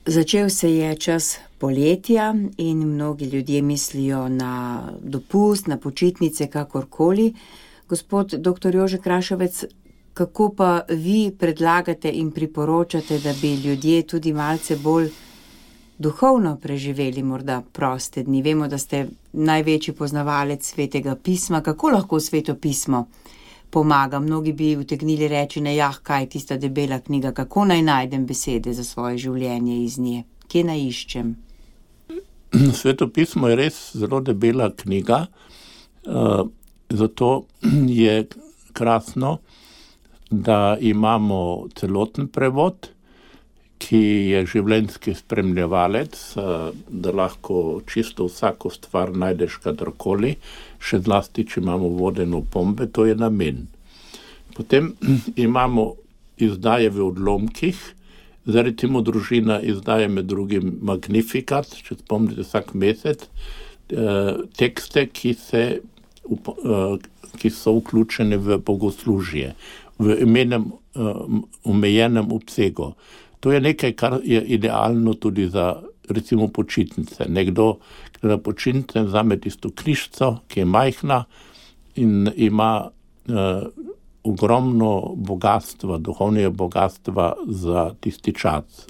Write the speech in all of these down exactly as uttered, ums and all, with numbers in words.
Začel se je čas poletja in mnogi ljudje mislijo na dopust, na počitnice, kakorkoli. Gospod doktor Jože Krašovec, kako pa vi predlagate in priporočate, da bi ljudje tudi malce bolj duhovno preživeli morda proste dni? Vemo, da ste največji poznavalec Svetega pisma. Kako lahko Sveto pismo pomaga? Mnogi bi utegnili reči, ne, jah, kaj tista debela knjiga, kako naj najdem besede za svoje življenje iz nje? Kje naj iščem? Sveto pismo je res zelo debela knjiga, zato je krasno, da imamo celoten prevod, ki je življenjski spremljevalec, da lahko čisto vsako stvar najdeš kadarkoli, še zlasti, če imamo vodeno pombe, to je namen. Potem imamo izdaje v odlomkih, zdaj recimo družina izdaje med drugim Magnificat, če spomnite vsak mesec, tekste, ki, se, ki so vključene v bogoslužje, v imenem omejenem obsegu. To je nekaj, kar je idealno tudi za recimo počitnice. Nekdo, ki na počitnice vzame tisto knjižico, ki je majhna in ima uh, ogromno bogatstva, duhovnega bogatstva za tisti čas.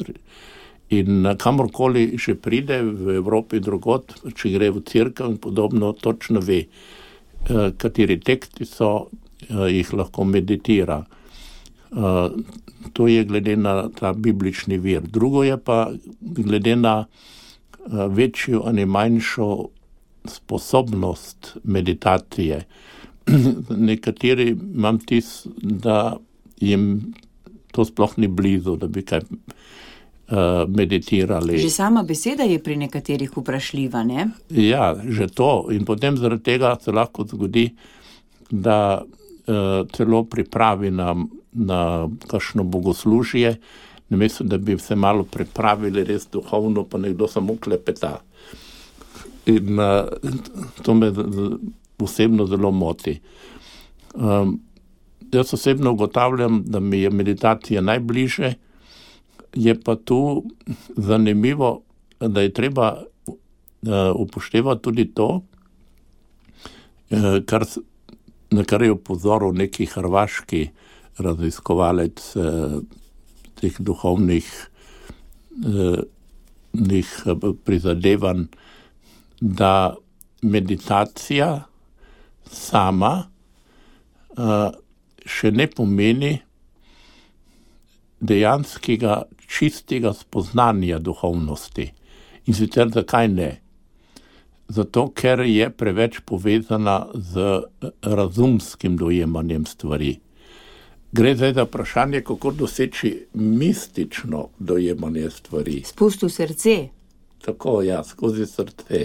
In kamorkoli že pride v Evropi drugod, če gre v cerkev in podobno, točno ve, uh, kateri teksti so, uh, jih lahko meditira. Uh, to je glede na ta biblični vir. Drugo je pa glede na uh, večjo ali manjšo sposobnost meditacije. Nekateri imam tis, da jim to sploh ni blizu, da bi kaj uh, meditirali. Že sama beseda je pri nekaterih vprašljiva, ne? Ja, že to. In potem zaradi tega se lahko zgodi, da uh, celo pripravi na na kakšno bogoslužje, namesto da bi se malo pripravili res duhovno, pa nekdo samo klepeta. In uh, to me osebno zelo moti. Um, jaz osebno ugotavljam, da mi je meditacija najbliže, je pa tu zanimivo, da je treba uh, upoštevati tudi to, uh, kar, na kar je upozoril neki hrvaški raziskovalec eh, teh duhovnih eh, prizadevanj, da meditacija sama eh, še ne pomeni dejanskega čistega spoznanja duhovnosti. In sicer zakaj ne? Zato, ker je preveč povezana z razumskim dojemanjem stvari. Gre zdaj za vprašanje, kako doseči mistično dojemanje stvari. Spust v srce. Tako, ja, skozi srce.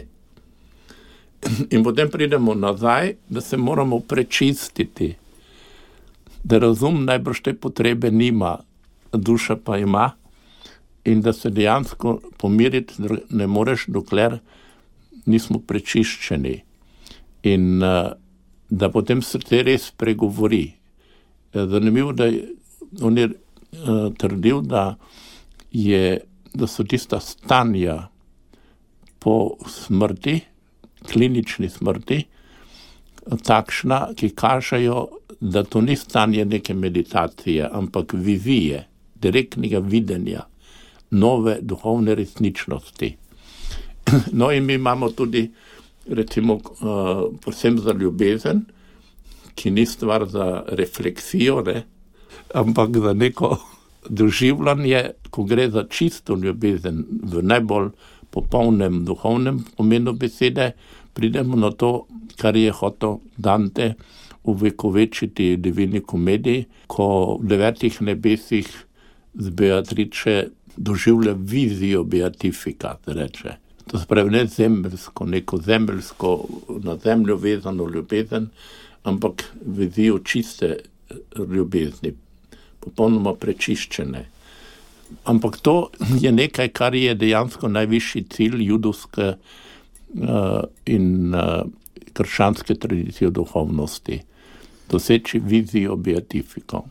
In potem pridemo nazaj, da se moramo prečistiti. Da razum najbrž te potrebe nima, duša pa ima, in da se dejansko pomiriti ne moreš, dokler nismo prečiščeni. In da potem srce res pregovori. Zanimivo, da je, on je uh, trdil, da, je, da so tista stanja po smrti, klinični smrti, takšna, ki kažejo, da to ni stanje neke meditacije, ampak vizije, direktnega videnja, nove duhovne resničnosti. No in mi imamo tudi, recimo, uh, posebno za ljubezen, ki ni stvar za refleksijo, ne? Ampak za neko doživljanje, ko gre za čisto ljubezen v najbolj popolnem duhovnem pomenu besede, pridemo na to, kar je hotel Dante uvekovečiti v Divini komediji, ko v devetih nebesih z Beatrice doživlja vizijo beatifikat, reče. To se pravi ne zemljsko, neko zemljsko, na zemljo vezano ljubezen, ampak vizijo čiste ljubezni, popolnoma prečiščene. Ampak to je nekaj, kar je dejansko najvišji cilj judovske uh, in uh, krščanske tradicije duhovnosti. Doseči vizijo beatifiko.